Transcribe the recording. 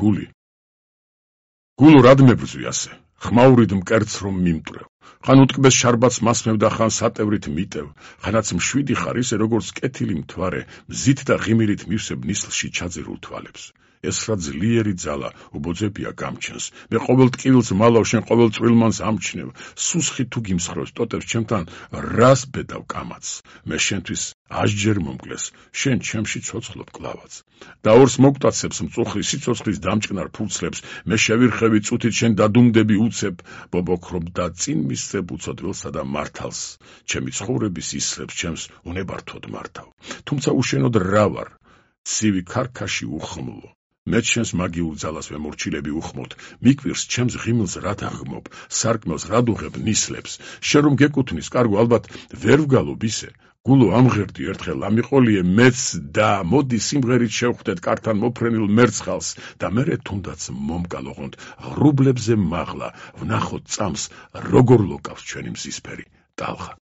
გული. გულო რად მებრძვი ასე, ხმაურით მკერდს რომ მიმტვრევ, ხან უტკბეს შარბაც მასმევ და ხან სატევრით მიტევ, ხანაც მშვიდი ხარ ისე როგორც კეთილი მთვარე, მზით და ღიმილით მივსებ ნისლში ჩაძირულ თვალებს. ეს რა ძლიერი ძალა უბოძებია გამჩენს, მე ყოველ ტკივილს მალავ, შენ ყოველ წვრილმანს ამჩნევ, სუსხი თუ გიმსხრევს ტოტებს ჩემთან, რას ბედავ კამათს, მე შენთვის ასჯერ მომკლეს, შენ ჩემში ცოცხლობ კლავაც. და ორს მოგტაცებს მწუხრი სიცოცხლის დამჭკნარ ფურცლებს, მე შევირხევი წუთით შენ დადუმდები უცებ, ბობოქრობ და წინ მისცებ უცოდვილსა და მართალს, ჩემი ცხოვრების ისლებს ჩემს უნებართოდ მართავ. თუმცა უშენოდ რა ვარ, ცივი ქარქაში უხმლო. მე ჩემს მაგიურ ძალას ვემორჩილები უხმოდ, მიკვირს ჩემს ღიმილს რა დაღმობ, სარკმელს რა დუღებ ნისლებს, შენ რომ გეკუთვნის, კარგო, ალბათ ვერ ვგალობ ისე, გულო ამღერდი ერთხელ ამიყოლიე მეც და მოდი სიმღერით შევხვდეთ კართან მოფრენილ მერცხალს და მერე თუნდაც მომკალ ოღონდ ღრუბლებზე მაღლა, ვნახოთ წამს, როგორ ლოკავს ჩვენი მზისფერი ტალღა.